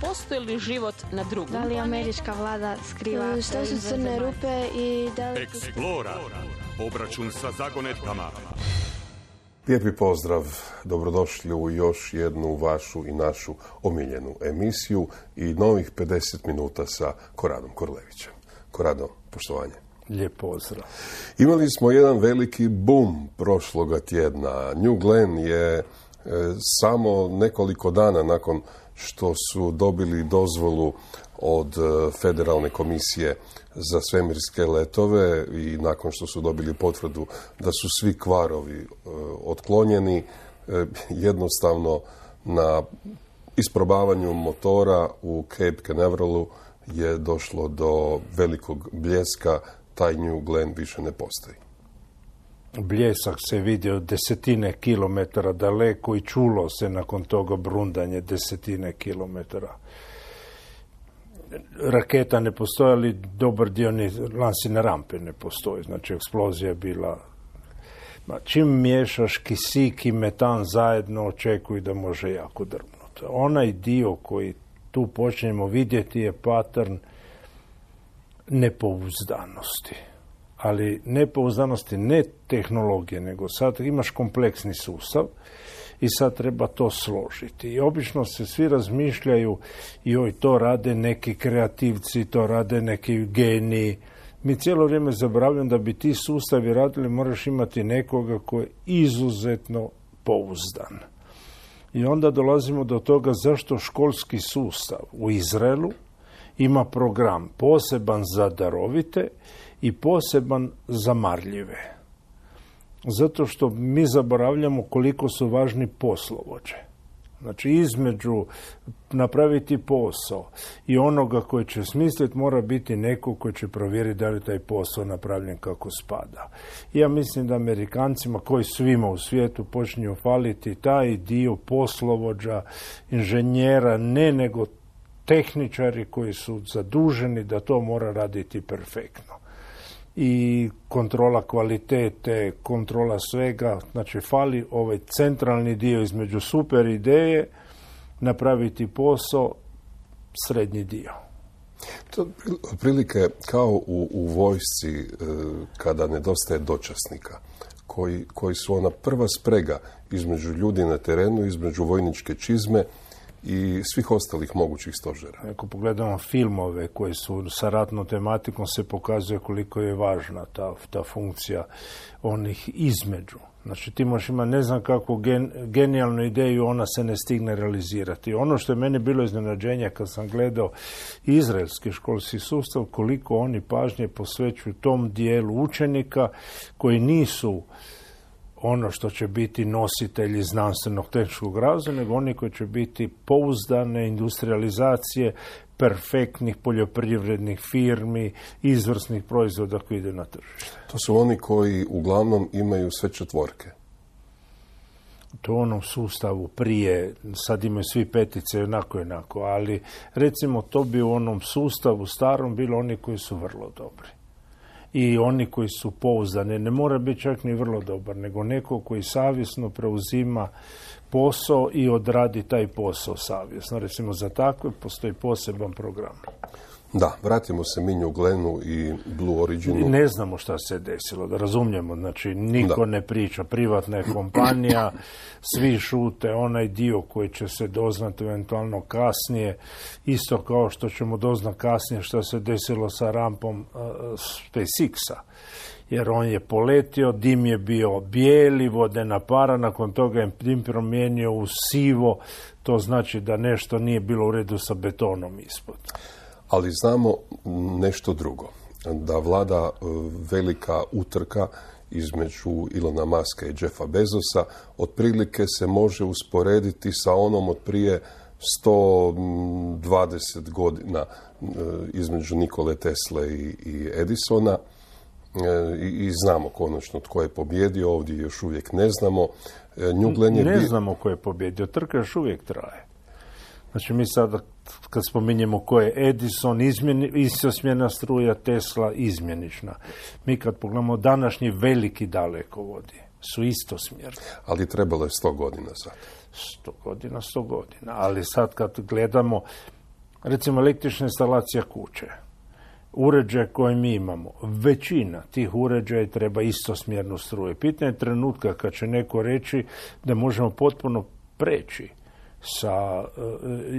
postoji li život na drugom Da li američka vlada skriva šta su crne rupe i da li... Eksplora. Obračun sa zagonetkama. Lijepi pozdrav, dobrodošli u još jednu vašu i našu omiljenu emisiju i novih 50 minuta sa Koradom Korlevićem. Korado, poštovanje. Lijep pozdrav. Imali smo jedan veliki boom prošloga tjedna. New Glenn je samo nekoliko dana nakon što su dobili dozvolu od Federalne komisije za svemirske letove i nakon što su dobili potvrdu da su svi kvarovi otklonjeni, jednostavno na isprobavanju motora u Cape Canaveralu je došlo do velikog bljeska. Taj New Glenn više ne postoji. Bljesak se vidio desetine kilometara daleko i čulo se nakon toga brundanje desetine kilometara. Raketa ne postoji, ali dobar dio ni lansirne rampe ne postoji. Znači, eksplozija je bila... Čim miješaš kisik i metan zajedno, očekuj da može jako drvnuti. Onaj dio koji tu počnemo vidjeti je pattern nepouzdanosti. Ali nepouzdanosti ne tehnologije, nego sad imaš kompleksni sustav i sad treba to složiti. I obično se svi razmišljaju, joj, to rade neki kreativci, to rade neki geniji. Mi cijelo vrijeme zaboravljamo da bi ti sustavi radili, moraš imati nekoga koji je izuzetno pouzdan. I onda dolazimo do toga zašto školski sustav u Izraelu ima program poseban za darovite i poseban za marljive. Zato što mi zaboravljamo koliko su važni poslovođe. Znači, između napraviti posao i onoga koji će smisliti mora biti neko koji će provjeriti da li taj posao napravljen kako spada. Ja mislim da Amerikancima, koji svima u svijetu, počinju faliti taj dio poslovođa, inženjera, ne nego tehničari koji su zaduženi da to mora raditi perfektno. I kontrola kvalitete, kontrola svega, znači fali ovaj centralni dio između super ideje, napraviti posao, srednji dio. To otprilike kao u vojsci kada nedostaje dočasnika, koji su ona prva sprega između ljudi na terenu, između vojničke čizme i svih ostalih mogućih stožera. Ako pogledamo filmove koji su sa ratnom tematikom, se pokazuje koliko je važna ta funkcija onih između. Znači, ti možeš imati ne znam kakvu genijalnu ideju, ona se ne stigne realizirati. Ono što je meni bilo iznenađenje kad sam gledao izraelski školski sustav, koliko oni pažnje posvećuju tom dijelu učenika koji nisu ono što će biti nositelji znanstvenog tehničkog razvoja, nego oni koji će biti pouzdane industrializacije perfektnih poljoprivrednih firmi, izvrsnih proizvoda koji ide na tržište. To su oni koji uglavnom imaju sve četvorke. To u onom sustavu prije, sad imaju svi petice, onako, ali recimo to bi u onom sustavu starom bilo oni koji su vrlo dobri. I oni koji su pouzdani, ne mora biti čak ni vrlo dobar, nego neko koji savjesno preuzima posao i odradi taj posao savjesno. Recimo, za takve postoji poseban program. Da, vratimo se mi New Glennu i Blue Originu. Ne znamo šta se desilo, da razumijemo. Znači, niko ne priča, privatna je kompanija, svi šute, onaj dio koji će se doznati eventualno kasnije, isto kao što ćemo doznati kasnije šta se desilo sa rampom SpaceX-a. Jer on je poletio, dim je bio bijeli, vodena para, nakon toga je dim promijenio u sivo, to znači da nešto nije bilo u redu sa betonom ispod. Ali znamo nešto drugo, da vlada velika utrka između Ilona Muska i Jeffa Bezosa, otprilike se može usporediti sa onom od prije 120 godina između Nikole Tesle i Edisona. I znamo konačno tko je pobjedio, ovdje još uvijek ne znamo. Ne znamo ko je pobjedio, trka još uvijek traje. Znači, mi sada kad spominjemo ko je Edison, istosmjerna struja, Tesla, izmjenična. Mi kad pogledamo današnji veliki dalekovodi, su istosmjerni. Ali trebalo je 100 godina sad. 100 godina. Ali sad kad gledamo Recimo električna instalacija kuće. Uređaj koji mi imamo, većina tih uređaja treba istosmjernu struju. Pitanje je trenutka kad će neko reći da možemo potpuno preći sa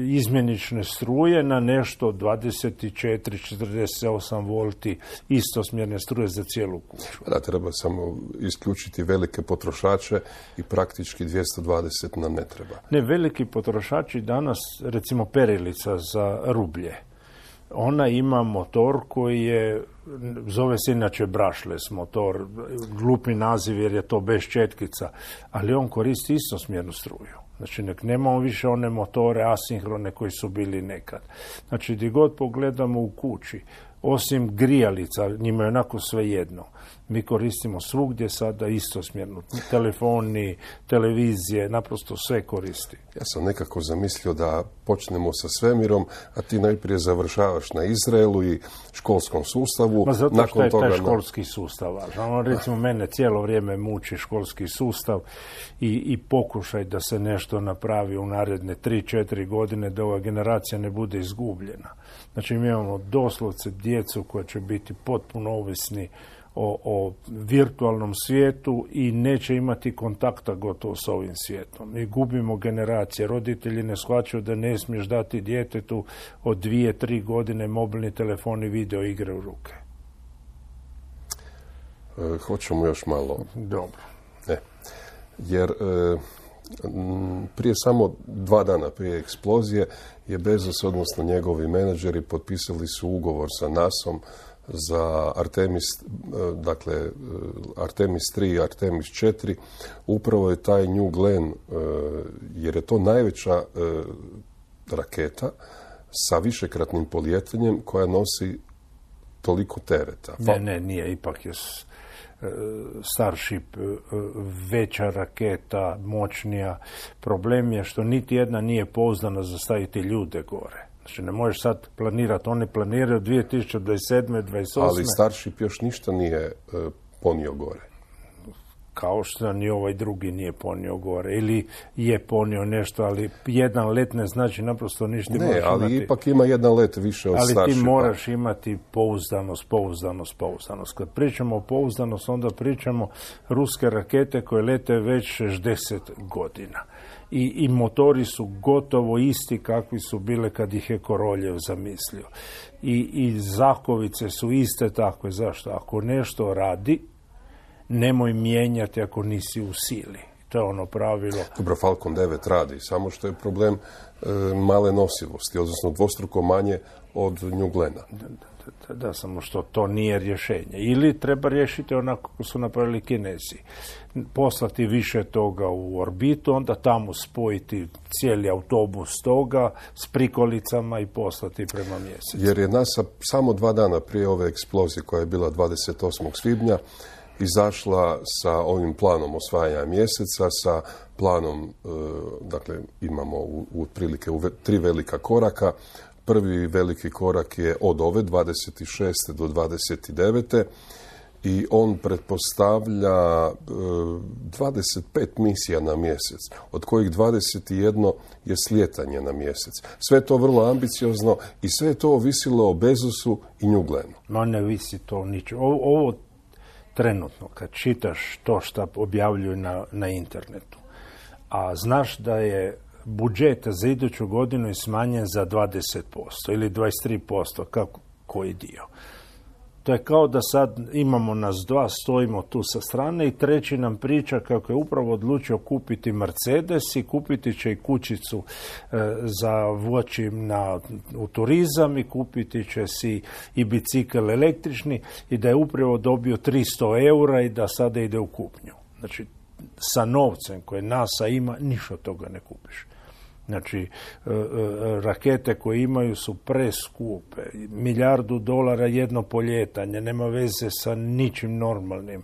izmjenične struje na nešto 24-48 volti istosmjerne struje za cijelu kuću. Da, treba samo isključiti velike potrošače i praktički 220 nam ne treba. Ne, veliki potrošači danas, recimo perilica za rublje, ona ima motor koji je, zove se inače brushless motor, glupi naziv jer je to bez četkica, ali on koristi istosmjernu struju. Znači, nemamo više one motore asinhrone koji su bili nekad. Znači, gdje god pogledamo u kući, osim grijalica, njima je onako sve jedno. Mi koristimo svugdje sada istosmjernu. Telefoni, televizije, naprosto sve koristi. Ja sam nekako zamislio da počnemo sa svemirom, a ti najprije završavaš na Izraelu i školskom sustavu. Ma zato što je taj školski sustav važan. Recimo, mene cijelo vrijeme muči školski sustav i pokušaj da se nešto napravi u naredne 3-4 godine, da ova generacija ne bude izgubljena. Znači, mi imamo doslovce djecu koja će biti potpuno ovisni o virtualnom svijetu i neće imati kontakta gotovo s ovim svijetom. Mi gubimo generacije. Roditelji ne shvaćaju da ne smiješ dati djetetu od 2-3 godine mobilni telefon i video igre u ruke. Hoćemo još malo. Dobro. Jer prije samo 2 dana prije eksplozije je Bezos, odnosno njegovi menadžeri, potpisali su ugovor sa NASA-om za Artemis, dakle Artemis 3 i Artemis 4. Upravo je taj New Glenn, jer je to najveća raketa sa višekratnim polijetanjem koja nosi toliko tereta. Ne, nije, ipak je Starship veća raketa, moćnija. Problem je što niti jedna nije pouzdana za staviti ljude gore. Znači, ne možeš sad planirati. Oni planiraju 2027. 28. Ali Starship još ništa nije ponio gore. Kao što ni ovaj drugi nije ponio gore. Ili je ponio nešto, ali jedan let ne znači naprosto ništa. Ne, ali imati, ipak ima jedan let više od Starshipa. Ali ti moraš imati pouzdanost. Kad pričamo o pouzdanost, onda pričamo ruske rakete koje lete već 60 godina. I motori su gotovo isti kakvi su bile kad ih je Koroljev zamislio. I zakovice su iste takve. Zašto? Ako nešto radi, nemoj mijenjati ako nisi u sili. To je ono pravilo. Dobro, Falcon 9 radi, samo što je problem male nosivosti, odnosno dvostruko manje od New Glenna. Da, samo što to nije rješenje. Ili treba riješiti onako kako su napravili Kinezi. Poslati više toga u orbitu, onda tamo spojiti cijeli autobus toga s prikolicama i poslati prema mjesecu. Jer je NASA samo 2 dana prije ove eksplozije, koja je bila 28. svibnja, izašla sa ovim planom osvajanja mjeseca, sa planom, dakle, imamo otprilike 3 velika koraka. Prvi veliki korak je od ove 26. do 29. i on pretpostavlja 25 misija na mjesec, od kojih 21 je slijetanje na mjesec. Sve to vrlo ambiciozno i sve to ovisilo o Bezosu i New Glennu. No, ne visi to ničemu. Ovo trenutno, kad čitaš to što objavljuju na internetu, a znaš da je budžet za iduću godinu je smanjen za 20% ili 23%, kako koji dio. To je kao da sad imamo nas dva, stojimo tu sa strane i treći nam priča kako je upravo odlučio kupiti Mercedes i kupiti će i kućicu za voći u turizam i kupiti će si i bicikl električni i da je upravo dobio 300 eura i da sada ide u kupnju. Znači, sa novcem koje NASA ima, ništa od toga ne kupiš. Znači, rakete koje imaju su preskupe. $1 milijardu jedno poljetanje, nema veze sa ničim normalnim.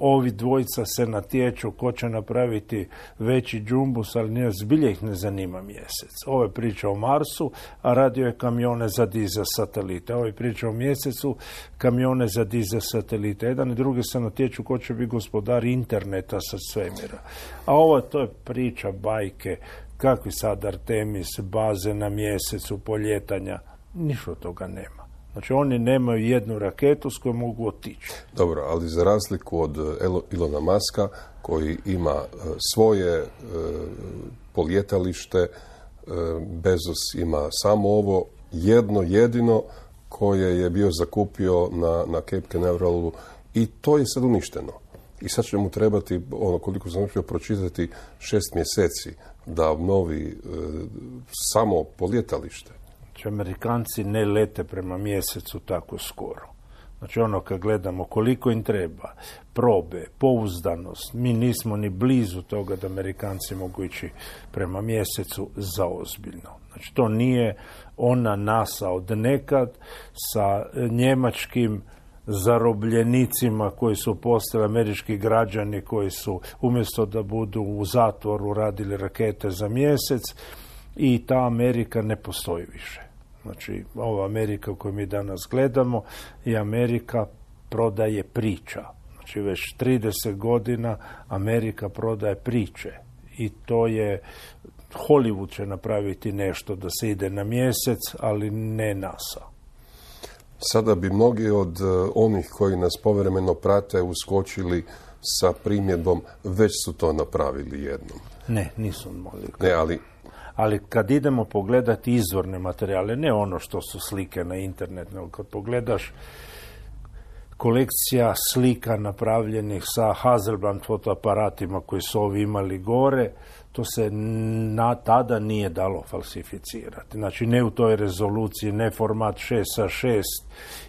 Ovi dvojica se natječu ko će napraviti veći džumbus, ali zbilje ih ne zanima mjesec. Ovo je priča o Marsu, a radio je kamione za dizel satelite. Ovo je priča o mjesecu, kamione za dizel satelite. Jedan i drugi se natječu ko će biti gospodar interneta sa svemira. A ovo to je priča bajke. kakvi sad Artemis, baze na mjesecu, poljetanja, ništa od toga nema. Znači oni nemaju jednu raketu s kojom mogu otići. Dobro, ali za razliku od Ilona Muska, koji ima svoje poljetalište, Bezos ima samo ovo jedno jedino koje je bio zakupio na Cape Canaveralalu i to je sad uništeno. I sad će mu trebati, koliko sam uspio pročitati, 6 mjeseci da obnovi samo poljetalište. Znači, Amerikanci ne lete prema mjesecu tako skoro. Znači, kad gledamo koliko im treba, probe, pouzdanost, mi nismo ni blizu toga da Amerikanci mogu ići prema mjesecu zaozbiljno. Znači, to nije ona NASA od nekad sa njemačkim zarobljenicima koji su postali američki građani, koji su umjesto da budu u zatvoru radili rakete za mjesec, i ta Amerika ne postoji više. Znači, ova Amerika koju mi danas gledamo je Amerika prodaje priča. Znači, već 30 godina Amerika prodaje priče. I to je, Hollywood će napraviti nešto da se ide na mjesec, ali ne NASA. Sada bi mnogi od onih koji nas povremeno prate uskočili sa primjedbom, već su to napravili jednom. Ne, nisu mogli. Ne, ali kad idemo pogledati izvorne materijale, ne ono što su slike na internet, nego kad pogledaš kolekcija slika napravljenih sa Hasselblad fotoaparatima koji su ovi imali gore, to se tada nije dalo falsificirati. Znači, ne u toj rezoluciji, ne format 6:6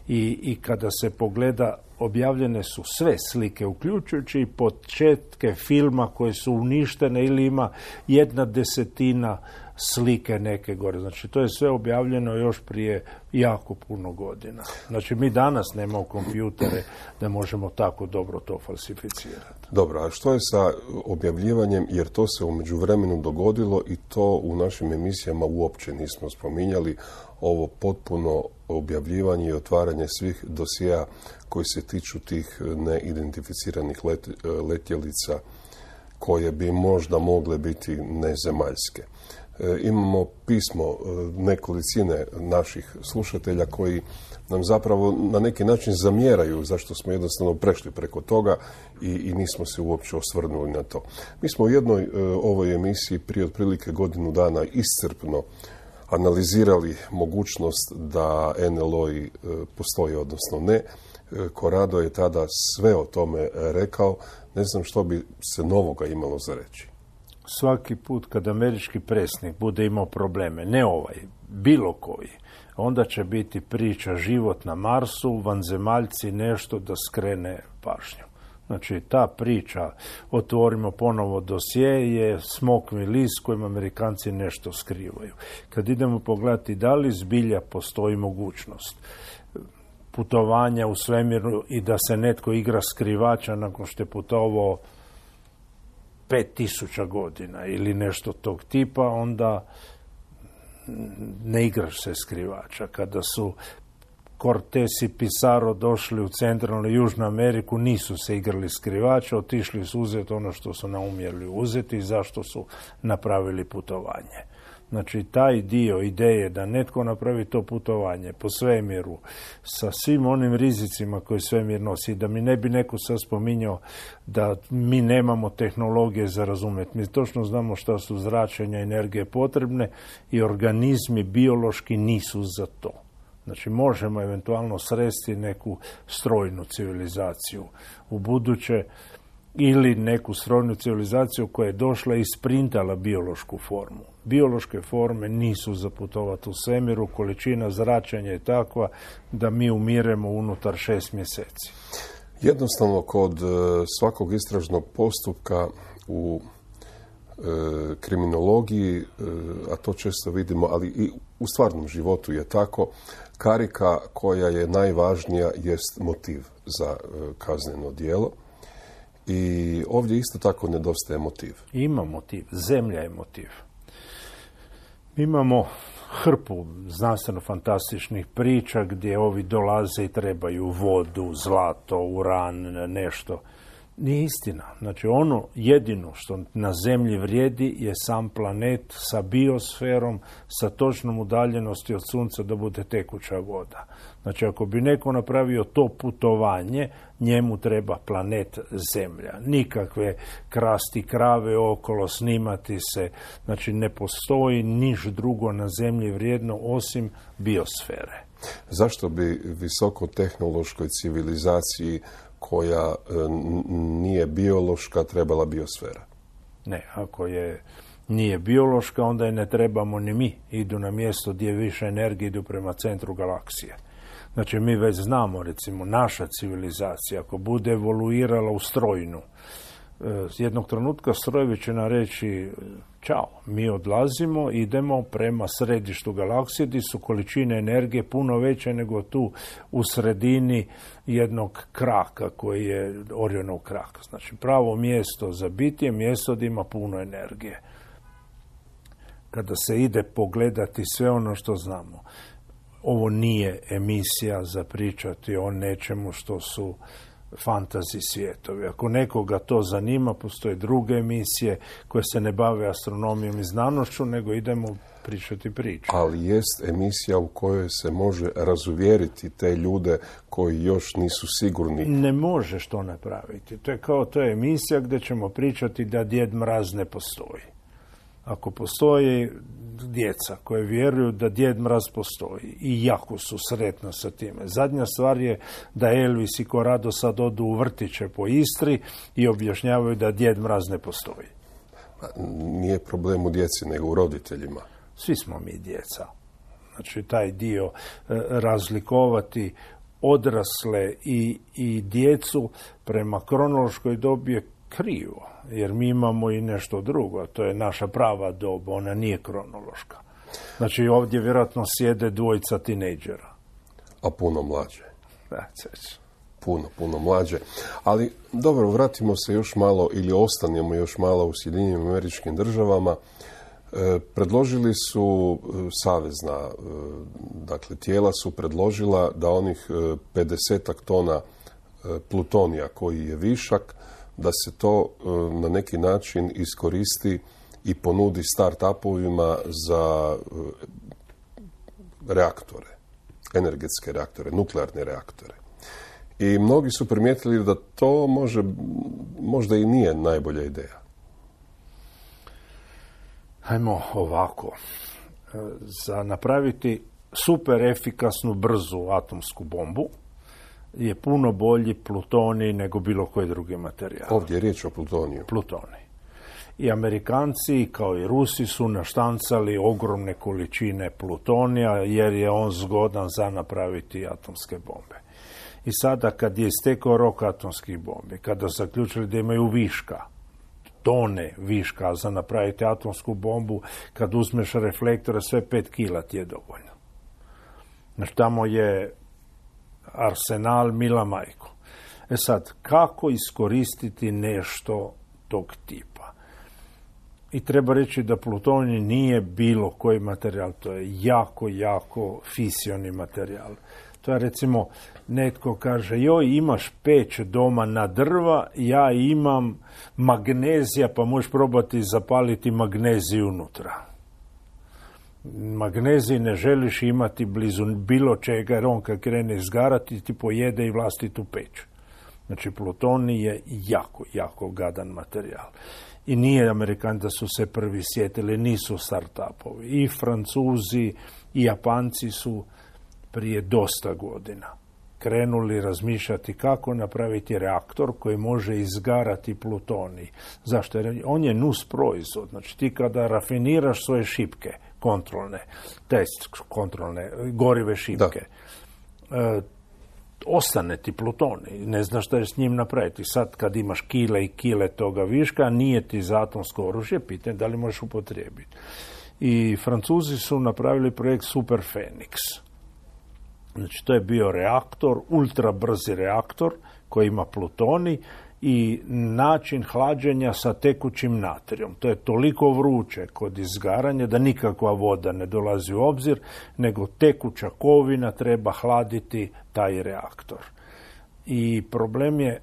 i kada se pogleda, objavljene su sve slike, uključujući i početke filma koje su uništene ili ima 1/10 slike neke gore. Znači, to je sve objavljeno još prije jako puno godina. Znači, mi danas nemamo kompjutere da možemo tako dobro to falsificirati. Dobro, a što je sa objavljivanjem, jer to se u međuvremenu dogodilo i to u našim emisijama uopće nismo spominjali, ovo potpuno objavljivanje i otvaranje svih dosjea koji se tiču tih neidentificiranih letjelica koje bi možda mogle biti nezemaljske. Imamo pismo nekolicine naših slušatelja koji nam zapravo na neki način zamjeraju zašto smo jednostavno prešli preko toga i nismo se uopće osvrnuli na to. Mi smo u jednoj ovoj emisiji prije otprilike godinu dana iscrpno analizirali mogućnost da NLO-i postoji, odnosno ne. Corrado je tada sve o tome rekao. Ne znam što bi se novoga imalo za reći. Svaki put kad američki predsjednik bude imao probleme, ne ovaj, bilo koji, onda će biti priča život na Marsu, vanzemaljci, nešto da skrene pažnju. Znači, ta priča, otvorimo ponovo dosje, je smokvin list kojim Amerikanci nešto skrivaju. Kad idemo pogledati da li zbilja postoji mogućnost putovanja u svemiru i da se netko igra skrivača nakon što je putovao 5000 godina ili nešto tog tipa, onda ne igraš se skrivača. Kada su Cortés i Pizarro došli u centralnu i južnu Ameriku, nisu se igrali skrivača, otišli su uzeti ono što su naumjeli uzeti i zašto su napravili putovanje. Znači, taj dio ideje da netko napravi to putovanje po svemiru sa svim onim rizicima koje svemir nosi, da mi ne bi neko sad spominjao da mi nemamo tehnologije za razumjeti. Mi točno znamo šta su zračenja energije potrebne i organizmi biološki nisu za to. Znači, možemo eventualno sresti neku strojnu civilizaciju u buduće ili neku strojnu civilizaciju koja je došla i sprintala biološku formu. Biološke forme nisu za putovati u svemiru, količina zračenja je takva da mi umiremo unutar 6 mjeseci. Jednostavno, kod svakog istražnog postupka u kriminologiji, a to često vidimo, ali i u stvarnom životu je tako, karika koja je najvažnija jest motiv za kazneno djelo. I ovdje isto tako nedostaje motiv. Ima motiv. Zemlja je motiv. Imamo hrpu znanstveno-fantastičnih priča gdje ovi dolaze i trebaju vodu, zlato, uran, nešto. Nije istina. Znači ono jedino što na zemlji vrijedi je sam planet sa biosferom, sa točnom udaljenosti od sunca da bude tekuća voda. Znači ako bi neko napravio to putovanje, njemu treba planet Zemlja. Nikakve krasti krave okolo, snimati se. Znači ne postoji niš drugo na zemlji vrijedno osim biosfere. Zašto bi visokotehnološkoj civilizaciji koja nije biološka trebala biosfera? Ne, ako nije biološka, onda je ne trebamo ni mi. Idu na mjesto gdje više energije, idu prema centru galaksije. Znači mi već znamo, recimo, naša civilizacija, ako bude evoluirala u strojnu, jednog trenutka strojevi će nam reći čao, mi odlazimo, idemo prema središtu galaksije gdje su količine energije puno veće nego tu u sredini jednog kraka koji je Orionov krak. Znači pravo mjesto za biti je mjesto gdje ima puno energije. Kada se ide pogledati sve ono što znamo, ovo nije emisija za pričati o nečemu što su fantasy svijetovi. Ako nekoga to zanima, postoje druge emisije koje se ne bave astronomijom i znanošću, nego idemo pričati priču. Ali jest emisija u kojoj se može razuvjeriti te ljude koji još nisu sigurni. Ne možeš to napraviti. To je emisija gdje ćemo pričati da Djed Mraz ne postoji. Ako postoji djeca koje vjeruju da Djed Mraz postoji i jako su sretna sa time. Zadnja stvar je da Elvis i Corrado sad odu u vrtiće po Istri i objašnjavaju da Djed Mraz ne postoji. Nije problem u djeci, nego u roditeljima. Svi smo mi djeca. Znači taj dio razlikovati odrasle i djecu prema kronološkoj dobi je krivo. Jer mi imamo i nešto drugo, to je naša prava doba, ona nije kronološka. Znači ovdje vjerojatno sjede dvojica tinejdžera. A puno mlađe. Puno mlađe. Ali dobro, vratimo se još malo ili ostanemo još malo u Sjedinjenim Američkim Državama. Predložili su savezna, dakle tijela su predložila da onih 50 tona plutonija koji je višak, da se to na neki način iskoristi i ponudi start-upovima za reaktore, energetske reaktore, nuklearne reaktore. I mnogi su primijetili da to možda i nije najbolja ideja. Hajmo ovako. Za napraviti super efikasnu, brzu atomsku bombu je puno bolji plutonij nego bilo koji drugi materijal. Ovdje je riječ o plutoniju. Plutonij. I Amerikanci, kao i Rusi, su naštancali ogromne količine plutonija jer je on zgodan za napraviti atomske bombe. I sada kad je istekao rok atomskih bombi, kada su zaključili da imaju viška, tone viška za napraviti atomsku bombu, kad uzmeš reflektore, sve 5 kila ti je dovoljno. Znači tamo je arsenal mila majko. Sad, kako iskoristiti nešto tog tipa? I treba reći da plutonij nije bilo koji materijal, to je jako fisioni materijal. To je recimo, netko kaže, joj, imaš peć doma na drva, ja imam magnezija, pa možeš probati zapaliti magneziju unutra. Magnezij ne želiš imati blizu bilo čega, jer on kad krene izgarati ti pojede i vlastitu peć. Znači plutonij je jako gadan materijal. I nije Amerikanci da su se prvi sjetili, nisu start-upovi. I Francuzi i Japanci su prije dosta godina krenuli razmišljati kako napraviti reaktor koji može izgarati plutonij. Zašto? Jer on je nus proizvod. Znači ti kada rafiniraš svoje šipke, kontrolne, gorive šipke, ostane ti plutonij, ne znaš šta je s njim napraviti. Sad kad imaš kile i kile toga viška, nije ti za atomsko oružje, pitanje da li možeš upotrijebiti. I Francuzi su napravili projekt Super Phoenix. Znači to je bio reaktor, ultra brzi reaktor koji ima plutonij i način hlađenja sa tekućim natrijom. To je toliko vruće kod izgaranja da nikakva voda ne dolazi u obzir, nego tekuća kovina treba hladiti taj reaktor. I problem je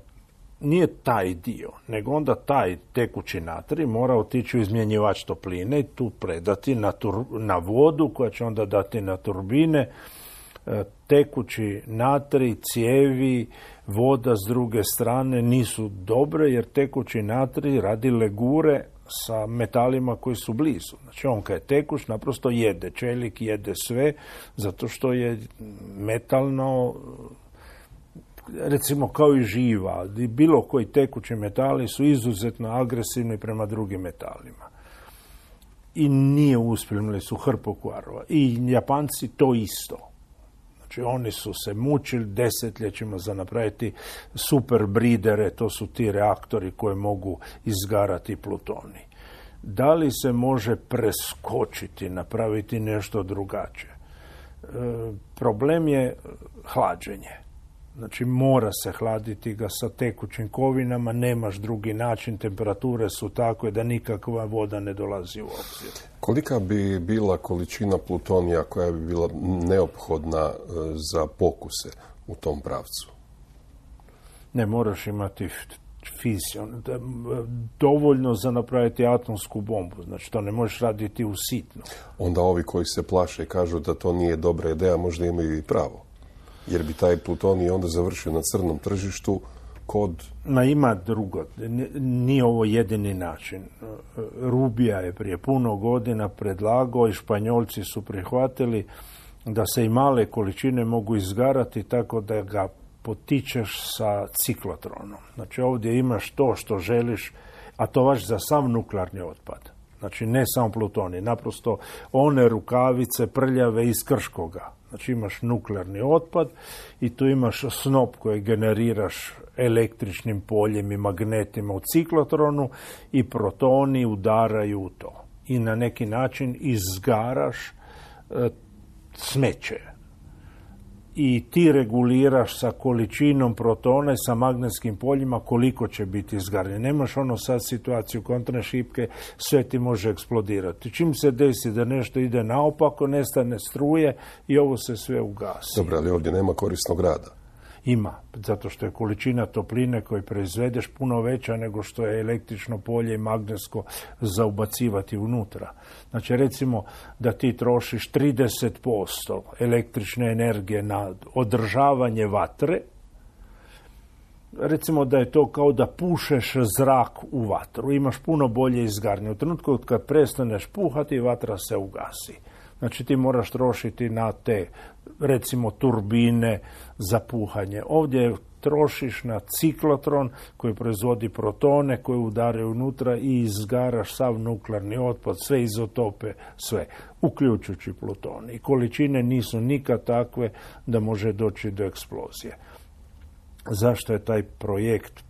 nije taj dio, nego onda taj tekući natrij mora otići u izmjenjivač topline i tu predati na vodu koja će onda dati na turbine. Tekući natrij, cijevi, voda s druge strane nisu dobre jer tekući natrij radi legure sa metalima koji su blizu. Znači on kad je tekuć naprosto jede, čelik jede sve zato što je metalno, recimo kao i živa, bilo koji tekući metali su izuzetno agresivni prema drugim metalima. I nije uspjelo, imali su hrpu kvarova. I Japanci to isto. Znači oni su se mučili desetljećima za napraviti super bridere, to su ti reaktori koji mogu izgarati plutonij. Da li se može preskočiti, napraviti nešto drugačije? Problem je hlađenje. Znači mora se hladiti ga sa tekućim kovinama, nemaš drugi način, temperature su takve da nikakva voda ne dolazi u obzir. Kolika bi bila količina plutonija koja bi bila neophodna za pokuse u tom pravcu? Ne moraš imati fizion, dovoljno za napraviti atomsku bombu, znači to ne možeš raditi u sitno. Onda ovi koji se plaše i kažu da to nije dobra ideja, možda imaju i pravo. Jer bi taj plutonij onda završio na crnom tržištu kod... Ima drugo. Nije ovo jedini način. Rubija je prije puno godina predlagao i Španjolci su prihvatili da se i male količine mogu izgarati tako da ga potičeš sa ciklotronom. Znači ovdje imaš to što želiš, a to važi za sav nuklearni otpad. Znači ne samo plutonij, naprosto one rukavice prljave iz Krškoga. Znači imaš nuklearni otpad i tu imaš snop koji generiraš električnim poljem i magnetima u ciklotronu i protoni udaraju u to. I na neki način izgaraš smeće. I ti reguliraš sa količinom protona i sa magnetskim poljima koliko će biti izgaranje. Nemaš ono sad situaciju kontra šipke, sve ti može eksplodirati. Čim se desi da nešto ide naopako, nestane struje i ovo se sve ugasi. Dobro, ali ovdje nema korisnog rada. Ima, zato što je količina topline koju proizvedeš puno veća nego što je električno polje i magnetsko za ubacivati unutra. Znači recimo da ti trošiš 30% električne energije na održavanje vatre, recimo da je to kao da pušeš zrak u vatru, imaš puno bolje izgaranje. U trenutku kad prestaneš puhati, vatra se ugasi. Znači ti moraš trošiti na te, recimo, turbine za puhanje. Ovdje trošiš na ciklotron koji proizvodi protone koji udaraju unutra i izgaraš sav nuklearni otpad, sve izotope, sve, uključujući pluton. I količine nisu nikad takve da može doći do eksplozije. Zašto je taj projekt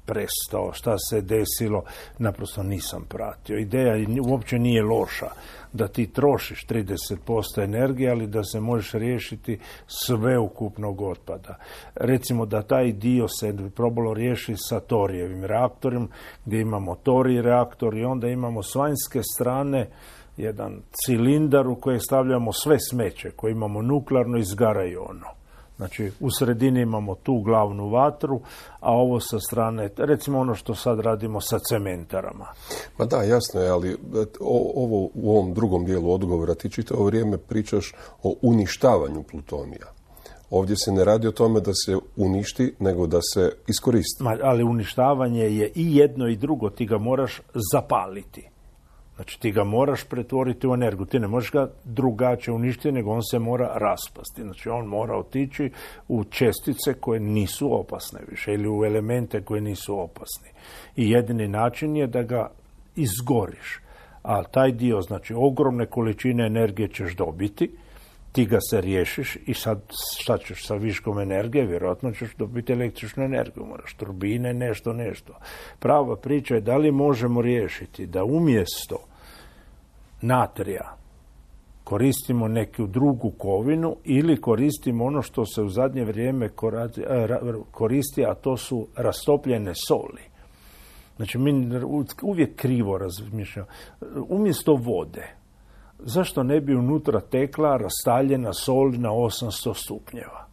prestao, šta se desilo, naprosto nisam pratio. Ideja uopće nije loša da ti trošiš 30% energije, ali da se možeš riješiti sveukupnog otpada. Recimo da taj dio se probalo riješiti sa torijevim reaktorom, gdje imamo torij reaktor i onda imamo s vanjske strane jedan cilindar u koji stavljamo sve smeće, koje imamo nuklearno, izgaraju ono. Znači, u sredini imamo tu glavnu vatru, a ovo sa strane, recimo ono što sad radimo sa cementarama. Ma da, jasno je, ali ovo u ovom drugom dijelu odgovora ti čitavo vrijeme pričaš o uništavanju plutonija. Ovdje se ne radi o tome da se uništi, nego da se iskoristi. Ali uništavanje je i jedno i drugo, ti ga moraš zapaliti. Znači ti ga moraš pretvoriti u energiju. Ti ne možeš ga drugačije uništiti, nego on se mora raspasti. Znači on mora otići u čestice koje nisu opasne više ili u elemente koje nisu opasni. I jedini način je da ga izgoriš. A taj dio, znači ogromne količine energije ćeš dobiti, ti ga se riješiš i sad šta ćeš sa viškom energije? Vjerojatno ćeš dobiti električnu energiju, moraš turbine, nešto. Prava priča je da li možemo riješiti da umjesto natrija koristimo neku drugu kovinu ili koristimo ono što se u zadnje vrijeme koristi, a to su rastopljene soli. Znači mi uvijek krivo razmišljamo. Umjesto vode, zašto ne bi unutra tekla rastaljena sol na 800 stupnjeva?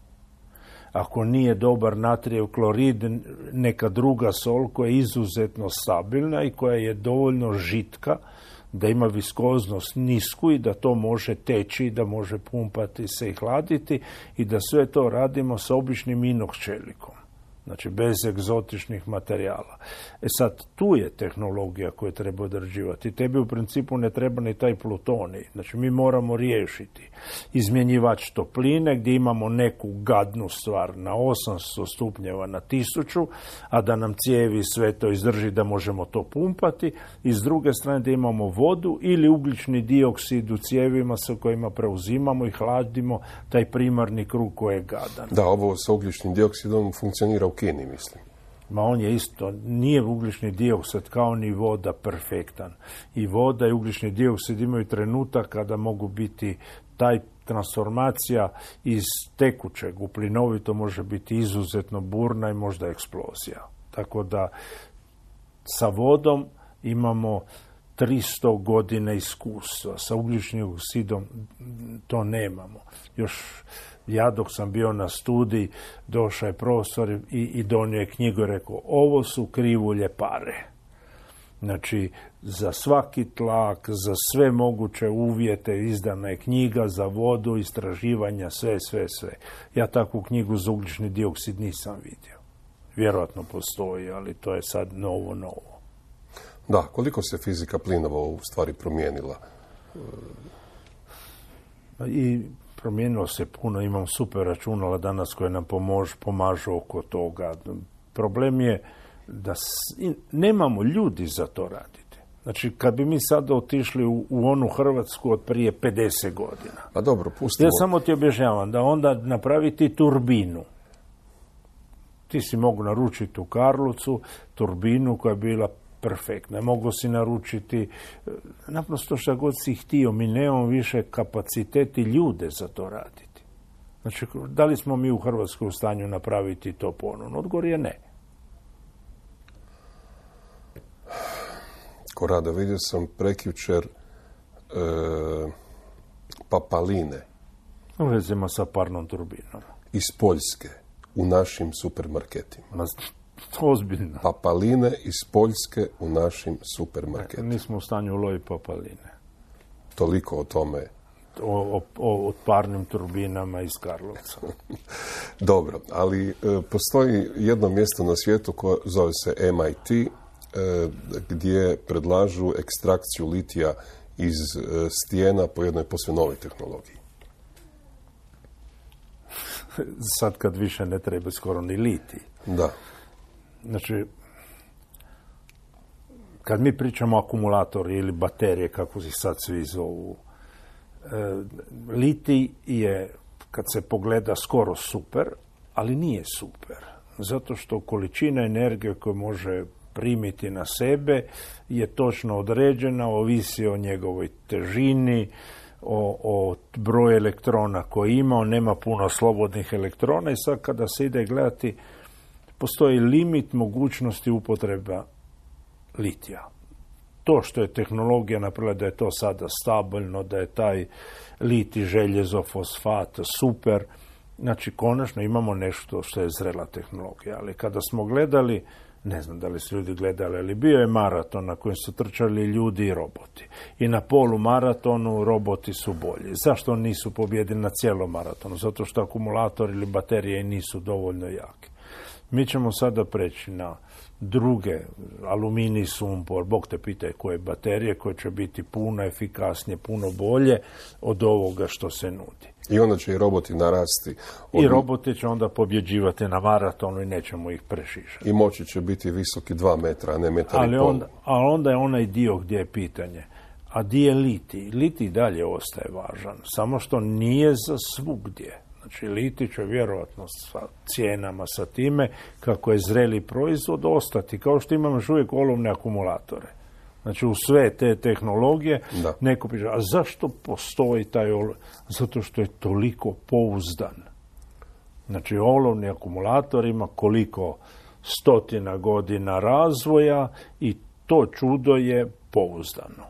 ako nije dobar natrijev klorid, neka druga sol koja je izuzetno stabilna i koja je dovoljno žitka da ima viskoznost nisku i da to može teći, da može pumpati se i hladiti i da sve to radimo sa običnim inox čelikom. Znači, bez egzotičnih materijala. Sad, tu je tehnologija koju treba odrađivati. Tebi u principu ne treba ni taj plutonij. Znači, mi moramo riješiti izmjenjivač topline gdje imamo neku gadnu stvar na 800 stupnjeva na 1000, a da nam cijevi sve to izdrži da možemo to pumpati. I s druge strane da imamo vodu ili ugljični dioksid u cijevima sa kojima preuzimamo i hladimo taj primarni krug koji je gadan. Da, ovo sa ugljičnim dioksidom funkcionira u Kini, mislim. Ma on je isto, nije ugljični dioksid kao ni voda perfektan. I voda i ugljični dioksid imaju trenutak kada mogu biti taj transformacija iz tekućeg u plinovito može biti izuzetno burna i možda eksplozija. Tako da sa vodom imamo 300 godina iskustva. Sa ugljičnim dioksidom to nemamo. Još ja dok sam bio na studiji, došao je profesor i donio je knjigu i rekao, ovo su krivulje pare. Znači, za svaki tlak, za sve moguće uvjete izdana je knjiga, za vodu, istraživanja, sve. Ja takvu knjigu za ugljični dioksid nisam vidio. Vjerojatno postoji, ali to je sad novo. Da, koliko se fizika plinova u stvari promijenila? I promijenilo se puno, imam super računala danas koje nam pomažu oko toga. Problem je da nemamo ljudi za to raditi. Znači, kad bi mi sada otišli u onu Hrvatsku od prije 50 godina. Pa dobro, pustimo. Ja samo ti objašnjavam da onda napraviti turbinu. Ti si mogu naručiti u Karlovcu turbinu koja je bila perfektna. Mogu si naručiti naprosto što god si htio. Mi nemamo više kapaciteti ljude za to raditi. Znači, da li smo mi u Hrvatskoj u stanju napraviti to ponovno? Odgovor je ne. Korado, vidio sam prekjučer papaline. U vezima sa parnom turbinom. Iz Poljske u našim supermarketima. Ozbiljno. Papaline iz Poljske u našim supermarketima. Nismo u stanju uloviti papaline. Toliko o tome. O parnim turbinama iz Karlovca. Dobro, ali postoji jedno mjesto na svijetu koje zove se MIT, gdje predlažu ekstrakciju litija iz stijena po jednoj posve novoj tehnologiji. Sad kad više ne treba skoro ni litij. Da. Znači, kad mi pričamo o akumulatori ili baterije, kako se sad svi zovu, litij je, kad se pogleda, skoro super, ali nije super. Zato što količina energije koju može primiti na sebe je točno određena, ovisi o njegovoj težini, o broju elektrona koji ima, on nema puno slobodnih elektrona i sad kada se ide gledati, postoji limit mogućnosti upotreba litija. To što je tehnologija napravila da je to sada stabilno, da je taj litij, željezo, fosfat super, znači konačno imamo nešto što je zrela tehnologija. Ali kada smo gledali, ne znam da li su ljudi gledali, ali bio je maraton na kojem su trčali ljudi i roboti. I na polumaratonu roboti su bolji. Zašto nisu pobjedili na cijelom maratonu? Zato što akumulator ili baterije nisu dovoljno jake. Mi ćemo sada preći na druge, aluminij, sumpor, Bog te pitaj koje baterije, koje će biti puno efikasnije, puno bolje od ovoga što se nudi. I onda će i roboti narasti. I roboti će onda pobjeđivati na maratonu i nećemo ih prešišati. I moći će biti visoki 2 metra, a ne metar i pol. Ali onda je onaj dio gdje je pitanje. A gdje je litij? Litij dalje ostaje važan, samo što nije za svugdje. Znači, litij će vjerojatno sa cijenama, sa time, kako je zreli proizvod, ostati. Kao što imamo još uvijek olovne akumulatore. Znači, u sve te tehnologije, neko piše, a zašto postoji taj Zato što je toliko pouzdan. Znači, olovni akumulator ima koliko 100 godina razvoja i to čudo je pouzdano.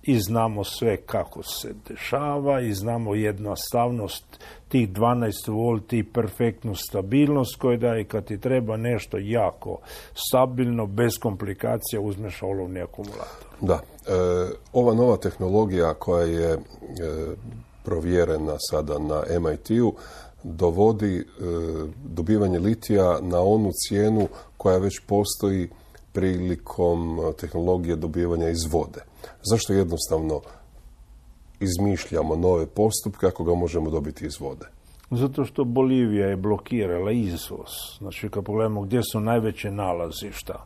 i znamo sve kako se dešava i znamo jednostavnost tih 12 volti i perfektnu stabilnost koju daje. Kad ti treba nešto jako stabilno, bez komplikacija, uzmeš olovni akumulator. Da. Ova nova tehnologija koja je provjerena sada na MIT-u dovodi dobivanje litija na onu cijenu koja već postoji prilikom tehnologije dobivanja iz vode. Zašto jednostavno izmišljamo nove postupke ako ga možemo dobiti iz vode? Zato što Bolivija je blokirala izvoz. Znači, kad pogledamo gdje su najveće nalazišta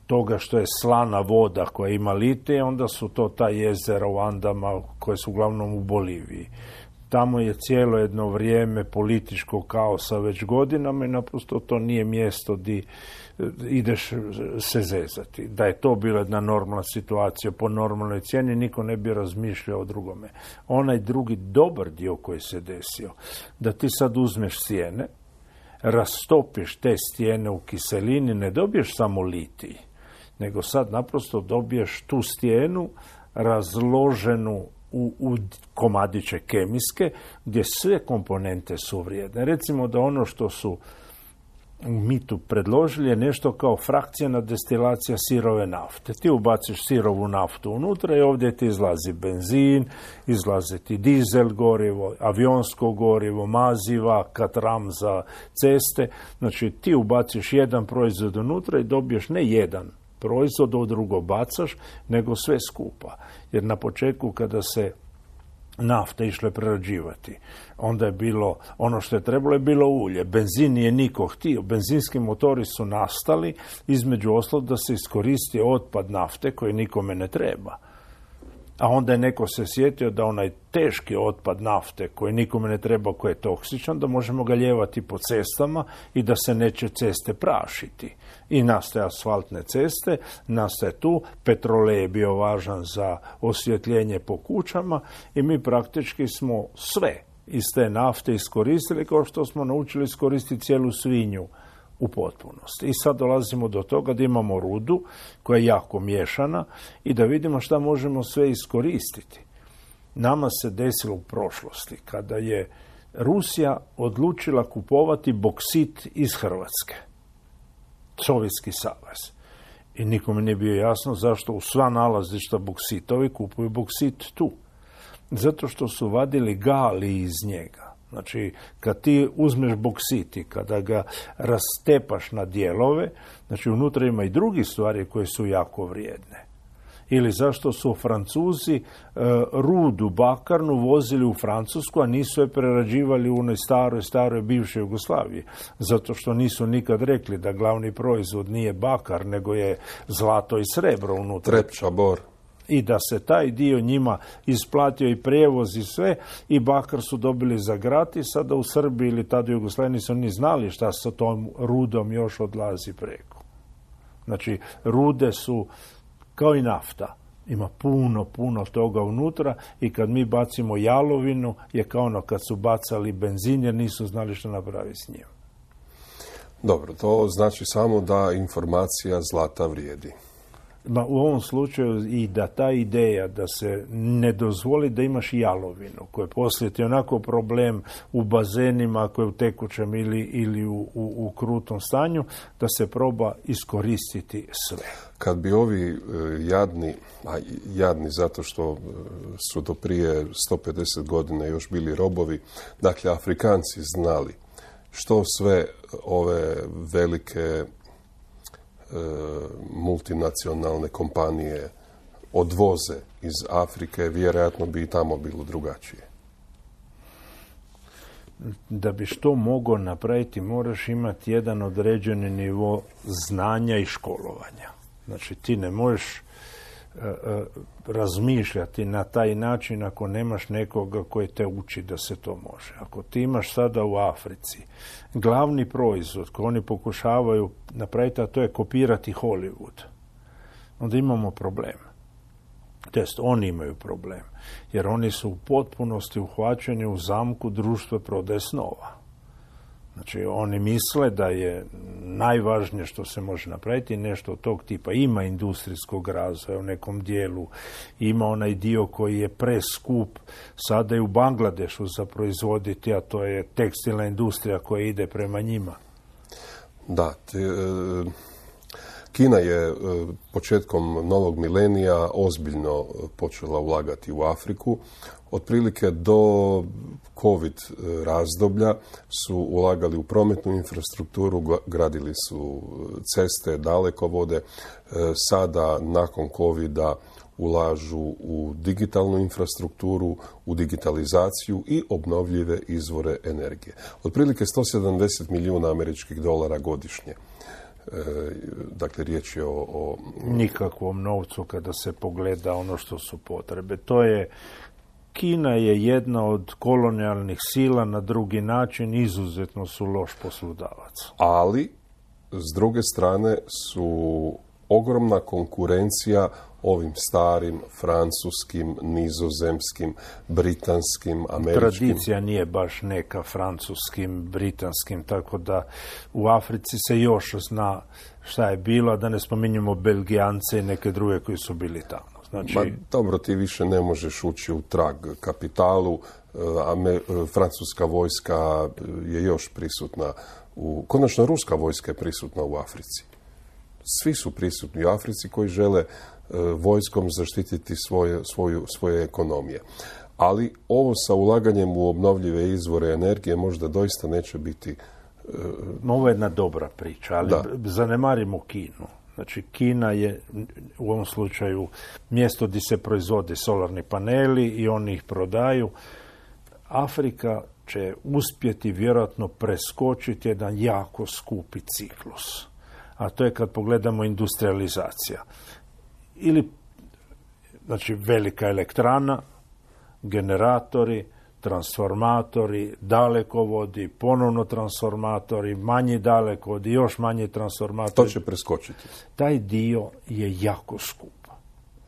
toga što je slana voda koja ima litije, onda su to ta jezera u Andama koje su uglavnom u Boliviji. Tamo je cijelo jedno vrijeme političkog kaosa već godinama i naprosto to nije mjesto gdje ideš se zezati. Da je to bila jedna normalna situacija po normalnoj cijeni, niko ne bi razmišljao o drugome. Onaj drugi dobar dio koji se desio, da ti sad uzmeš stijene, rastopiš te stijene u kiselini, ne dobiješ samo litij, nego sad naprosto dobiješ tu stijenu razloženu u komadiće kemijske, gdje sve komponente su vrijedne. Recimo da ono što su u mitu predložili je nešto kao frakcijna destilacija sirove nafte. Ti ubaciš sirovu naftu unutra i ovdje ti izlazi benzin, izlazi ti dizel gorivo, avionsko gorivo, maziva, katram za ceste. Znači ti ubaciš jedan proizvod unutra i dobiješ ne jedan proizvod, od drugo bacaš, nego sve skupa. Jer na početku kada se nafta išle prerađivati, onda je bilo, ono što je trebalo je bilo ulje. Benzin nije niko htio. Benzinski motori su nastali između ostalog da se iskoristi otpad nafte koji nikome ne treba. A onda je neko se sjetio da onaj teški otpad nafte koji nikome ne treba, koji je toksičan, da možemo ga ljevati po cestama i da se neće ceste prašiti. I nastaje asfaltne ceste, nastaje tu, petrolej je bio važan za osvjetljenje po kućama i mi praktički smo sve iz te nafte iskoristili kao što smo naučili iskoristiti cijelu svinju u potpunosti. I sad dolazimo do toga da imamo rudu koja je jako miješana i da vidimo šta možemo sve iskoristiti. Nama se desilo u prošlosti kada je Rusija odlučila kupovati boksit iz Hrvatske. Sovjetski savez. I nikome nije bio jasno zašto u sva nalazišta boksitovi kupuju boksit tu. Zato što su vadili gali iz njega. Znači, kad ti uzmeš boksit i kada ga rastepaš na dijelove, znači unutra ima i drugi stvari koje su jako vrijedne. Ili zašto su Francuzi rudu bakarnu vozili u Francusku, a nisu je prerađivali u onoj staroj bivšoj Jugoslaviji. Zato što nisu nikad rekli da glavni proizvod nije bakar, nego je zlato i srebro unutra. Trepča, bor. I da se taj dio njima isplatio i prijevoz i sve, i bakar su dobili za gratis, sada u Srbiji ili tada u Jugoslaviji nisu ni znali šta sa tom rudom još odlazi preko. Znači, rude su kao i nafta. Ima puno toga unutra i kad mi bacimo jalovinu je kao ono kad su bacali benzin jer nisu znali što napraviti s njim. Dobro, to znači samo da informacija zlata vrijedi. U ovom slučaju i da ta ideja da se ne dozvoli da imaš jalovinu, koja poslije ti onako problem u bazenima, koja je u tekućem ili u krutom stanju, da se proba iskoristiti sve. Kad bi ovi jadni zato što su do prije 150 godina još bili robovi, dakle Afrikanci znali što sve ove velike multinacionalne kompanije odvoze iz Afrike, vjerojatno bi i tamo bilo drugačije. Da bi što mogao napraviti, moraš imati jedan određeni nivo znanja i školovanja. Znači, ti ne možeš razmišljati na taj način ako nemaš nekoga koji te uči da se to može. Ako ti imaš sada u Africi glavni proizvod koji oni pokušavaju napraviti, a to je kopirati Hollywood, onda imamo problem. Test, oni imaju problem. Jer oni su u potpunosti uhvaćeni u zamku društva prodaje snova. Znači, oni misle da je najvažnije što se može napraviti nešto od tog tipa. Ima industrijskog razvoja u nekom dijelu, ima onaj dio koji je preskup sada i u Bangladešu za proizvoditi, a to je tekstilna industrija koja ide prema njima. Da, Kina je početkom novog milenija ozbiljno počela ulagati u Afriku. Otprilike do COVID razdoblja su ulagali u prometnu infrastrukturu, gradili su ceste, dalekovode. Sada, nakon COVID-a, ulažu u digitalnu infrastrukturu, u digitalizaciju i obnovljive izvore energije. Otprilike 170 milijuna američkih dolara godišnje. Dakle, riječ je o nikakvom novcu kada se pogleda ono što su potrebe. Kina je jedna od kolonijalnih sila, na drugi način izuzetno su loš poslodavac. Ali, s druge strane, su ogromna konkurencija ovim starim, francuskim, nizozemskim, britanskim, američkim. Tradicija nije baš neka francuskim, britanskim, tako da u Africi se još zna šta je bilo, da ne spominjemo Belgijance i neke druge koji su bili tamo. Znači, dobro, ti više ne možeš ući u trag kapitalu, francuska vojska je još prisutna, konačno ruska vojska je prisutna u Africi. Svi su prisutni u Africi koji žele vojskom zaštititi svoje ekonomije. Ali ovo sa ulaganjem u obnovljive izvore energije možda doista neće biti... Ovo je jedna dobra priča, ali zanemarimo Kinu. Znači, Kina je u ovom slučaju mjesto gdje se proizvode solarni paneli i oni ih prodaju. Afrika će uspjeti vjerojatno preskočiti jedan jako skupi ciklus. A to je kad pogledamo industrializacija. Ili, znači, velika elektrana, generatori, transformatori, dalekovodi, ponovno transformatori, manji dalekovodi, još manji transformatori. To će preskočiti. Taj dio je jako skup.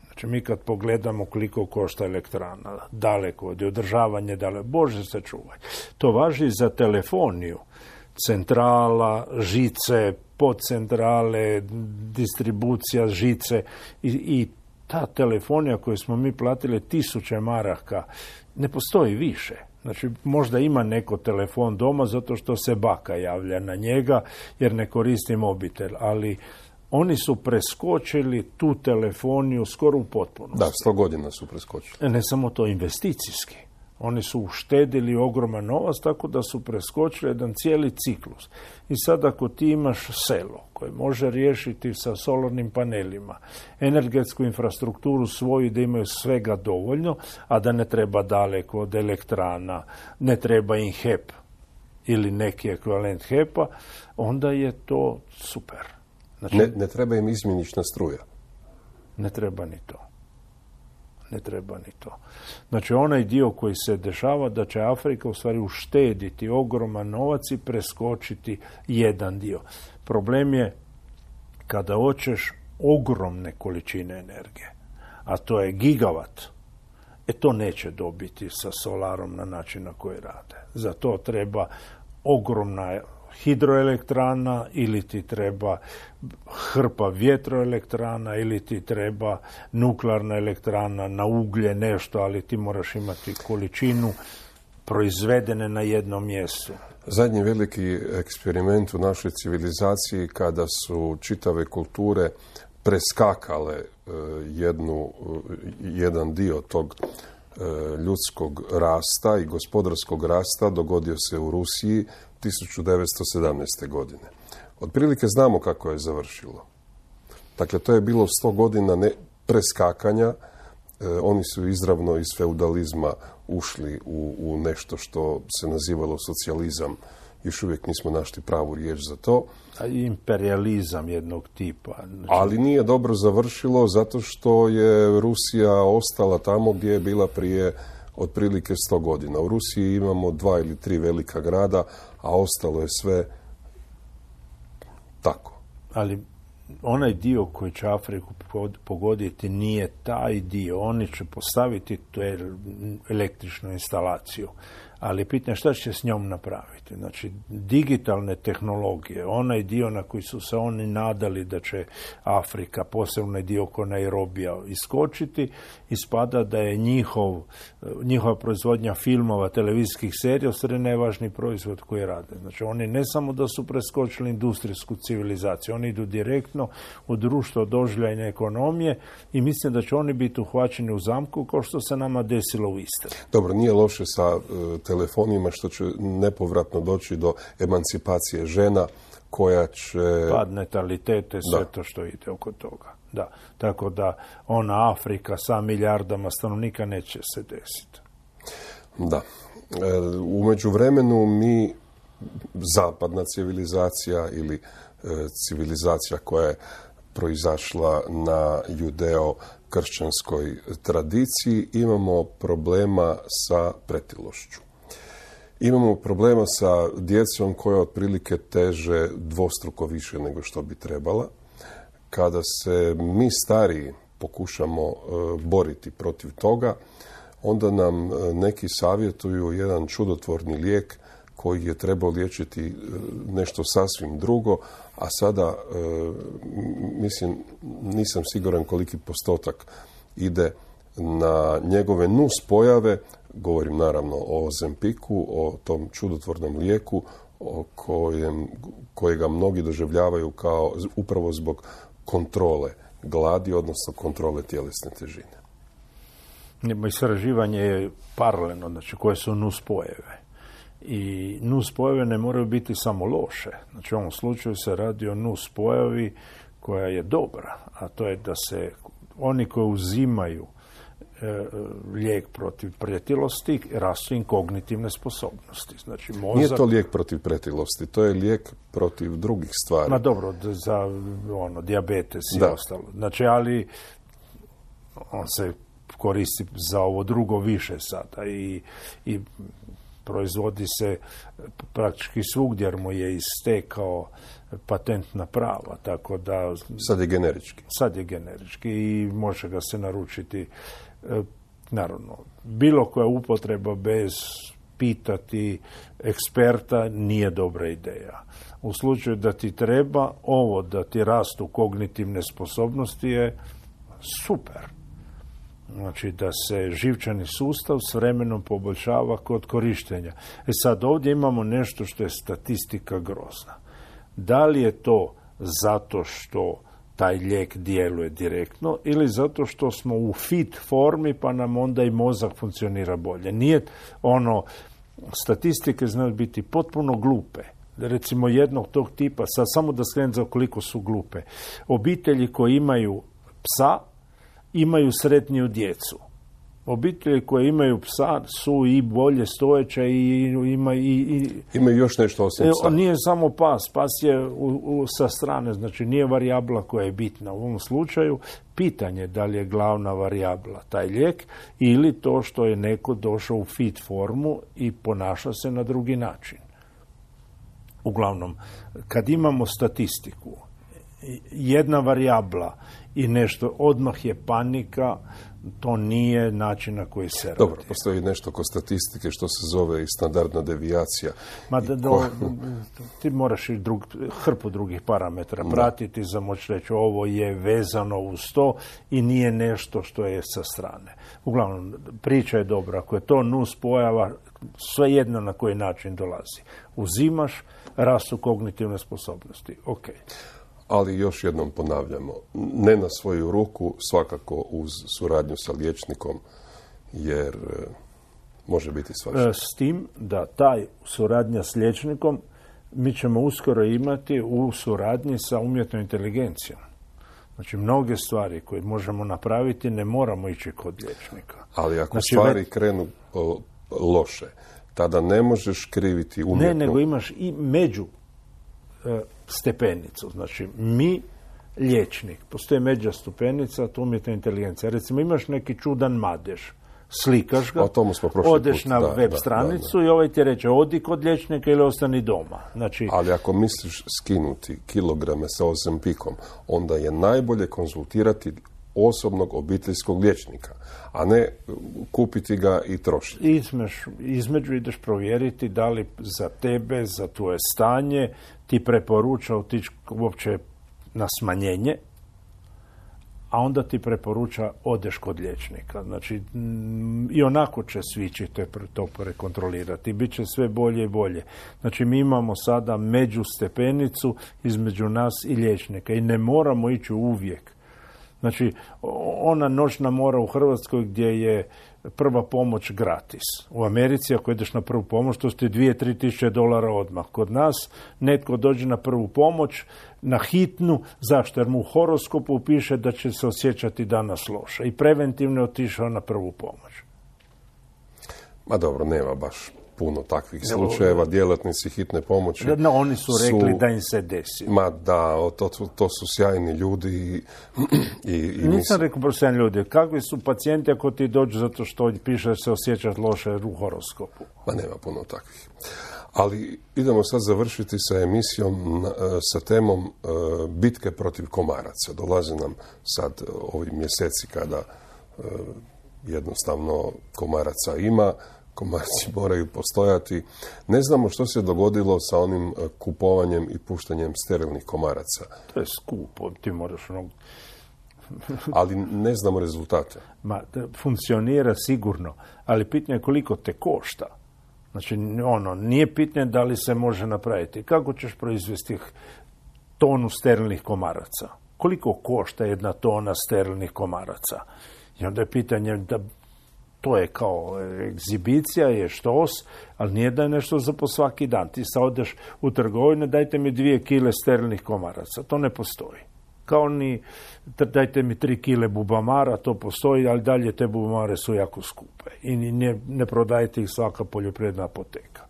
Znači, mi kad pogledamo koliko košta elektrana, dalekovodi, održavanje Bože se čuvaj. To važi za telefoniju. Centrala, žice, podcentrale, distribucija žice i ta telefonija koju smo mi platili 1000 maraka ne postoji više. Znači, možda ima neko telefon doma zato što se baka javlja na njega jer ne koristi mobitel, ali oni su preskočili tu telefoniju skoro u potpunosti. Da, 100 godina su preskočili. Ne samo to, investicijski. Oni su uštedili ogroman novac, tako da su preskočili jedan cijeli ciklus. I sad ako ti imaš selo koje može riješiti sa solarnim panelima energetsku infrastrukturu svoju da imaju svega dovoljno, a da ne treba daleko od elektrana, ne treba im HEP ili neki ekvivalent HEP-a, onda je to super. Znači, ne treba im izmjenična struja. Ne treba ni to. Ne treba ni to. Znači, onaj dio koji se dešava da će Afrika u stvari uštediti ogroman novac i preskočiti jedan dio. Problem je kada hoćeš ogromne količine energije, a to je gigavat, to neće dobiti sa solarom na način na koji rade. Za to treba ogromna hidroelektrana ili ti treba hrpa vjetroelektrana ili ti treba nuklearna elektrana na uglje, nešto, ali ti moraš imati količinu proizvedene na jednom mjestu. Zadnji veliki eksperiment u našoj civilizaciji kada su čitave kulture preskakale jedan dio tog ljudskog rasta i gospodarskog rasta dogodio se u Rusiji 1917. godine. Otprilike znamo kako je završilo. Dakle, to je bilo 100 godina preskakanja. Oni su izravno iz feudalizma ušli u nešto što se nazivalo socijalizam. Još uvijek nismo našli pravu riječ za to. A imperializam jednog tipa. Znači... Ali nije dobro završilo zato što je Rusija ostala tamo gdje je bila prije otprilike 100 godina. U Rusiji imamo 2 ili 3 velika grada, a ostalo je sve tako. Ali onaj dio koji će Afriku pogoditi nije taj dio. Oni će postaviti tu električnu instalaciju, ali pitanje šta će s njom napraviti. Znači, digitalne tehnologije, onaj dio na koji su se oni nadali da će Afrika, posebno dio oko Nairobija, iskočiti, ispada da je njihova proizvodnja filmova, televizijskih serija, ostane najvažniji proizvod koji rade. Znači, oni ne samo da su preskočili industrijsku civilizaciju, oni idu direktno u društvo doživljajne ekonomije i mislim da će oni biti uhvaćeni u zamku kao što se nama desilo u Istri. Dobro, nije loše sa telefonima što će nepovratno doći do emancipacije žena koja će... Pad natalitete, sve to što ide oko toga. Da. Tako da ona Afrika sa milijardama stanovnika neće se desiti. Da. U međuvremenu mi, zapadna civilizacija ili civilizacija koja je proizašla na judeo-kršćanskoj tradiciji, imamo problema sa pretilošću. Imamo problema sa djecom koja otprilike teže dvostruko više nego što bi trebala. Kada se mi stariji pokušamo boriti protiv toga, onda nam neki savjetuju jedan čudotvorni lijek koji je trebao liječiti nešto sasvim drugo, a sada, mislim, nisam siguran koliki postotak ide na njegove nuspojave, govorim naravno o Ozempiku, o tom čudotvornom lijeku kojega mnogi doživljavaju kao upravo zbog kontrole gladi, odnosno kontrole tjelesne težine. Istraživanje je paralelno, znači koje su nuspojave. I nuspojave ne moraju biti samo loše. Znači u ovom slučaju se radi o nuspojavi koja je dobra, a to je da se oni koji uzimaju lijek protiv pretilosti, rastu im kognitivne sposobnosti. Znači, mozak... Nije to lijek protiv pretilosti, to je lijek protiv drugih stvari. Ma dobro, za dijabetes i ostalo. Znači, ali on se koristi za ovo drugo više sada i proizvodi se praktički svugdje jer mu je istekao patentna prava, tako da... Sad je generički. Sad je generički i može ga se naručiti. Naravno, bilo koja upotreba bez pitati eksperta nije dobra ideja. U slučaju da ti treba, ovo da ti rastu kognitivne sposobnosti je super. Znači da se živčani sustav s vremenom poboljšava kod korištenja. Sad ovdje imamo nešto što je statistika grozna. Da li je to zato što taj lijek djeluje direktno ili zato što smo u fit formi pa nam onda i mozak funkcionira bolje. Nije statistike znaju biti potpuno glupe. Recimo jednog tog tipa, sad samo da skrenem za koliko su glupe. Obitelji koji imaju psa imaju sretniju djecu. Obitelji koje imaju psa su i bolje stojeće i imaju još nešto osim psa. Nije samo pas. Pas je sa strane, znači nije varijabla koja je bitna. U ovom slučaju pitanje da li je glavna varijabla taj lijek ili to što je neko došao u fit formu i ponaša se na drugi način. Uglavnom, kad imamo statistiku, jedna varijabla i nešto, odmah je panika, to nije način na koji se radi. Dobro, postoji nešto kod statistike što se zove i standardna devijacija. Ti moraš i hrpu drugih parametara pratiti za moći reći ovo je vezano uz to i nije nešto što je sa strane. Uglavnom, priča je dobra. Ako je to nuspojava, svejedno na koji način dolazi. Uzimaš, rastu kognitivne sposobnosti. Ok. Ali još jednom ponavljamo, ne na svoju ruku, svakako uz suradnju sa liječnikom, jer može biti svašta. S tim da taj suradnja s liječnikom mi ćemo uskoro imati u suradnji sa umjetnom inteligencijom. Znači, mnoge stvari koje možemo napraviti ne moramo ići kod liječnika. Ali ako stvari krenu loše, tada ne možeš kriviti umjetnu... Ne, nego imaš i među stepenicu. Znači, mi, liječnik, postoji međa stupenica, to umjetna inteligencija. Recimo, imaš neki čudan madež, slikaš ga, odeš na web stranicu i ovaj ti reče, odi kod liječnika ili ostani doma. Znači, ali ako misliš skinuti kilograme sa Ozempikom, onda je najbolje konzultirati osobnog obiteljskog liječnika, a ne kupiti ga i trošiti. Između ideš provjeriti da li za tebe, za tvoje stanje ti preporuča otići uopće na smanjenje, a onda ti preporuča odeš kod liječnika. Znači, i onako će svi će to prekontrolirati. Biće sve bolje i bolje. Znači, mi imamo sada međustepenicu između nas i liječnika i ne moramo ići uvijek. Znači, ona noćna mora u Hrvatskoj gdje je prva pomoć gratis. U Americi, ako ideš na prvu pomoć, to ste 2-3 tisuće dolara odmah. Kod nas netko dođe na prvu pomoć, na hitnu, zašto? Jer mu u horoskopu piše da će se osjećati danas loše. I preventivno je otišao na prvu pomoć. Ma dobro, nema baš puno takvih slučajeva, djelatnici hitne pomoći. No, oni su rekli da im se desi. Ma da, to su sjajni ljudi Nisam rekao sjajni ljudi. Kakvi su pacijenti ako ti dođu zato što piše da se osjećaš loše u horoskopu? Ma nema puno takvih. Ali idemo sad završiti sa emisijom, sa temom bitke protiv komaraca. Dolaze nam sad ovi mjeseci kada jednostavno komaraca ima, komarci moraju postojati. Ne znamo što se dogodilo sa onim kupovanjem i puštanjem sterilnih komaraca. To je skupo, ti moraš ali ne znamo rezultate. Funkcionira sigurno, ali pitanje je koliko te košta. Znači, nije pitanje da li se može napraviti. Kako ćeš proizvesti tonu sterilnih komaraca? Koliko košta jedna tona sterilnih komaraca? I onda je pitanje da to je kao egzibicija, je štos, ali nije da je nešto za po svaki dan. Ti sad odeš u trgovinu, dajte mi 2 kile sterilnih komaraca. To ne postoji. Kao ni dajte mi 3 kile bubamara, to postoji, ali dalje te bubamare su jako skupe. I ne prodajte ih svaka poljoprivredna apoteka.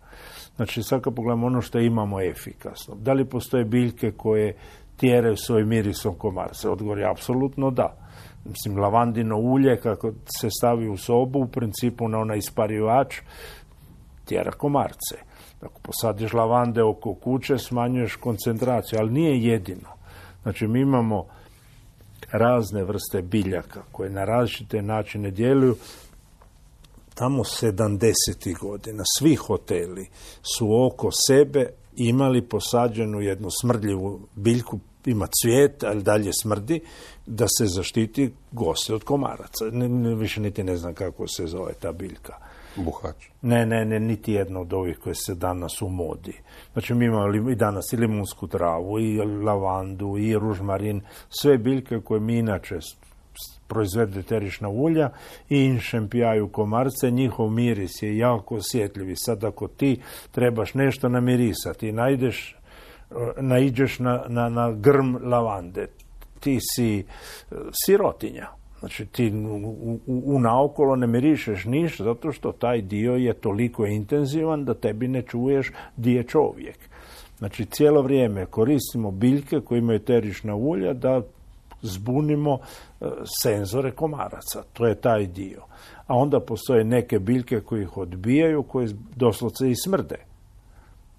Znači, sad kad pogledamo ono što imamo efikasno. Da li postoje biljke koje tjeraju svojim mirisom komarce? Odgovor je apsolutno da. Mislim, lavandino ulje, kako se stavi u sobu, u principu na onaj isparivač, tjera komarce. Ako posadiš lavande oko kuće, smanjuješ koncentraciju, ali nije jedino. Znači, mi imamo razne vrste biljaka koje na različite načine djeluju. Tamo 70. godina svi hoteli su oko sebe imali posađenu jednu smrdljivu biljku, ima cvijet, ali dalje smrdi, da se zaštiti goste od komaraca. Više niti ne znam kako se zove ta biljka. Buhač. Ne, niti jedno od ovih koje se danas u modi. Znači, mi imamo i danas i limunsku travu, i lavandu, i ružmarin, sve biljke koje mi inače proizvedu eterična ulja i inšempijaju komarce, njihov miris je jako osjetljiv. Sad ako ti trebaš nešto namirisati i naiđeš na grm lavande, ti si sirotinja. Znači, ti u naokolo ne mirišeš ništa, zato što taj dio je toliko intenzivan da tebi ne čuješ di je čovjek. Znači, cijelo vrijeme koristimo biljke koje imaju eterična ulja da zbunimo senzore komaraca. To je taj dio. A onda postoje neke biljke koje ih odbijaju, koje doslovce i smrde.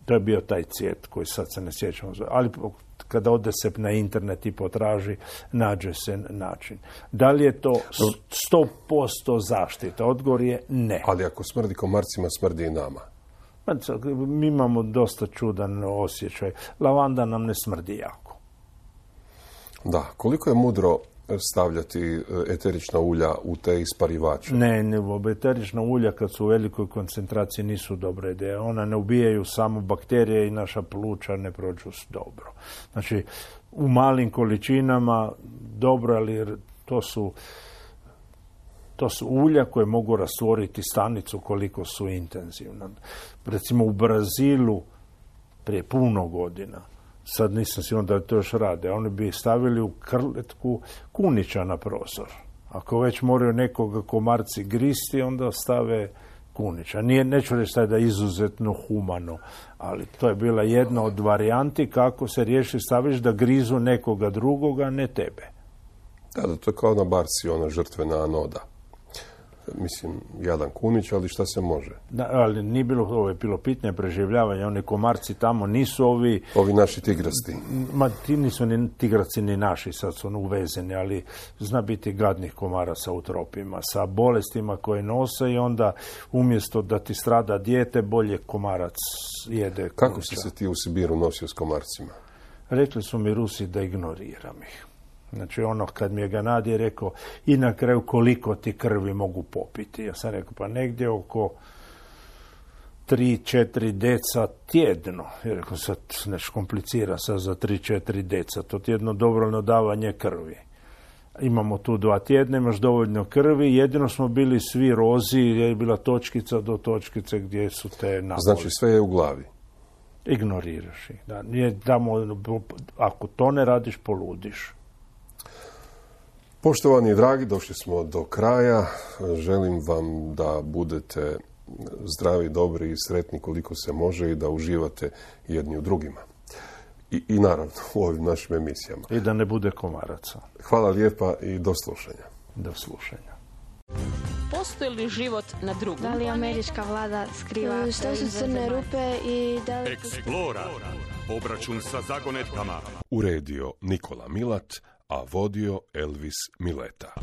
To je bio taj cvijet koji sad se ne sjećamo. Ali kada ode se na internet i potraži, nađe se način. Da li je to 100% zaštita? Odgovor je ne. Ali ako smrdi komarcima, smrdi i nama. Mi imamo dosta čudan osjećaj. Lavanda nam ne smrdi jako. Da, koliko je mudro stavljati eterična ulja u te isparivače? Ne, eterična ulja kad su u velikoj koncentraciji nisu dobre ideje. Ona ne ubijaju samo bakterije i naša pluća ne prođu dobro. Znači, u malim količinama dobro, ali to su ulja koje mogu rastvoriti stanicu koliko su intenzivna. Recimo u Brazilu prije puno godina, sad nisam siguran da to još rade, oni bi stavili u krletku kunića na prozor. Ako već moraju nekoga komarci gristi, onda stave kunića. Neću reći da je izuzetno humano, ali to je bila jedna od varijanti kako se riješi, staviš da grizu nekoga drugoga, ne tebe. Da, to je kao na barci, ona žrtvena anoda. Mislim, jadan kunić, ali šta se može? Da, ali nije bilo, ovo je bilo pitanje preživljavanja, oni komarci tamo nisu ovi... Ovi naši tigrasti. Ma ti nisu ni tigraci ni naši, sad su uvezeni, ali zna biti gadnih komaraca u tropima, sa bolestima koje nose i onda umjesto da ti strada dijete, bolje komarac jede. Kako si se ti u Sibiru nosio s komarcima? Rekli su mi Rusi da ignoriram ih. Znači ono kad mi je Ganadije rekao i na kraju koliko ti krvi mogu popiti. Ja sam rekao pa negdje oko 3-4 deca tjedno. Ja rekao sad nešto komplicira sad za 3-4 deca. To ti je jedno dobrovoljno davanje krvi. Imamo tu 2 tjedna, imaš dovoljno krvi. Jedino smo bili svi rozi, je bila točkica do točkice gdje su te naboli. Znači sve je u glavi. Ignoriraš ih. Da, ako to ne radiš, poludiš. Poštovani i dragi, došli smo do kraja. Želim vam da budete zdravi, dobri i sretni koliko se može i da uživate jedni u drugima. I naravno u ovim našim emisijama. I da ne bude komaraca. Hvala lijepa i do slušanja. Do slušanja. Postoji li život na drugom? Da li američka vlada skriva Što su crne rupe i da li... Explora. Obračun sa zagonetkama. Uredio Nikola Milat, a vodio Elvis Mileta.